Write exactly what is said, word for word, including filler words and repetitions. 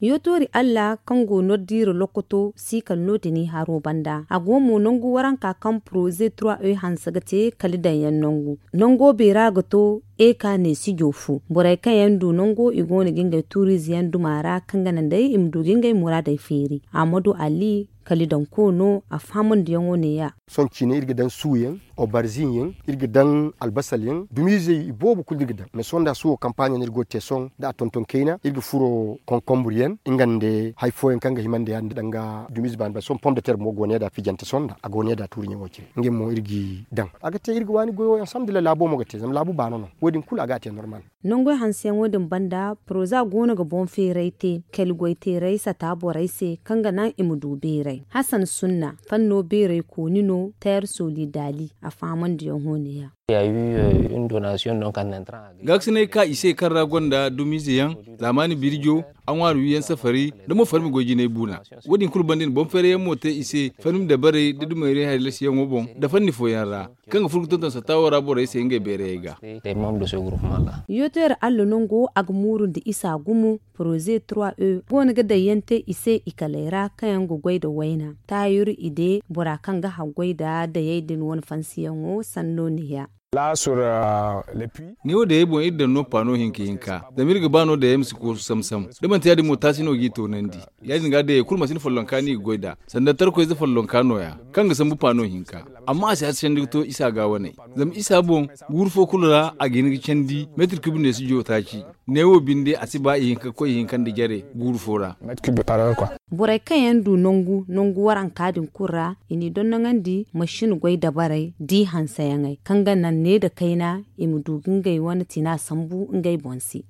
Yootoori alla kaŋ go nordiira lokoto si kala no- din i haro banda a go mo nangu waranka kaŋ poroze trois e hanse ga te kala daŋ yaŋ nangu. Nango beera ga to eka ne sijo fo borey kaŋ yaŋ du nango i go no ga ngey tuuriize yaŋ duma ra kaŋ ga naŋ day i ma du ga ngey muraadey feeri. Ahmadu ali kala i daŋ koono a fahamandiyaŋo ne- ya. Sohõ ciine iri ga daŋ suuyaŋ, obarzin yaŋ, iri ga daŋ albasal yaŋ dumiizey i boobo kulu iri ga daŋ mais sohõ nda suwo kampaaɲo no iri go ga te sohõ nda a tonton kayna iri ga furo konkonbur yaŋ nga nda hari fooyaŋ kaŋ ga hima nda ya- din danga dumiize baani baani sohõ pom de ter mo go ne- da fijante sohõ nda a go ne- da tuuriiɲaŋo cine ngey mo iri g'i daŋ. A ga te iri ga waani goyo alhamdulillahi laabo mo ga te zama laabu baano no wo- din kulu a ga a te normal. Nangoy hanseyaŋo din banda poroza go no ga boŋ feeray te kala goy teeray sata borey se kaŋ ga naŋ i ma du beeray hasan sunna fanno beeray kooni no teer solidali a fahamandiyaŋo ne- ya. Gaakasinay ka i se kaŋ ra gonda dumiize yaŋ zaamaani birjo a ŋwaari wiyaŋ safari da mo farmi goy jinay buuna. Wo- din kulu banda i na boŋ feeray yaŋ mo te i se farmi dabarey da dumayray haylasiyaŋo boŋ da fanni fooyaŋ ra kaŋ ga furo ga tonton satta wo ra borey se ngey beerayey ga. Yootoyar alla nango a ga muurundi isa gumo poroze trois e go no ga daŋ yaŋ te i se i kaley ra kaŋ yaŋ ga goy nda wayna taayir ide bora kaŋ ga haggoy nda dayey din wane fansiyaŋo sanno ne- ya. Neewo dayey boŋ iri daŋ no paano hinka hinka zama iri ga ba no dayey ma si koosu sam-sam da manti ya- din mo taasi no g'i toonandi. Ya- din ga dayey kulu manti ni follonka no i ga goy nd'a sanda tarkoyze follonka no- ya kaŋ ga sambu paano hinka. Amma a si a si candi ga to isa ga waney zama isa boŋ guuru fo kulu ra a ga hin ga candi meetir kub ne si jo taaci. Neewo binde a si ba ihinka ga koy ihinka nda jare guuru fo ra. Borey kaŋ yaŋ du nangu nangu waranka din kulu ra i n'i dondoŋandi masin goy dabarey da i hanseyaŋey kaŋ ga naŋ ne nda kayna i ma du ga ngey wane tina sambu ngey boŋ se.